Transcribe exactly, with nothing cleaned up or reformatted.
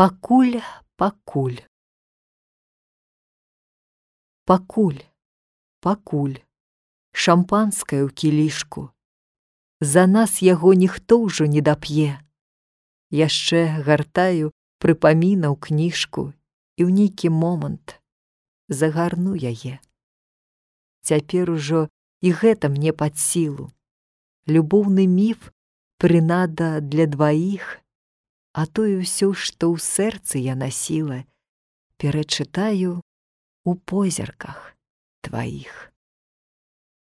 Пакуль, пакуль. Пакуль, пакуль, шампанскае ў кілішку. За нас яго ніхто ўжо не дап'е. Яшчэ гартаю прыпамінаў кніжку і ў нейкі момант загарну яе. Цяпер ужо і гэта мне пад сілу. Любоўны міф прынада для дваіх, а тое ўсё, што ў сэрцы я насіла, перачытаю у позірках тваіх.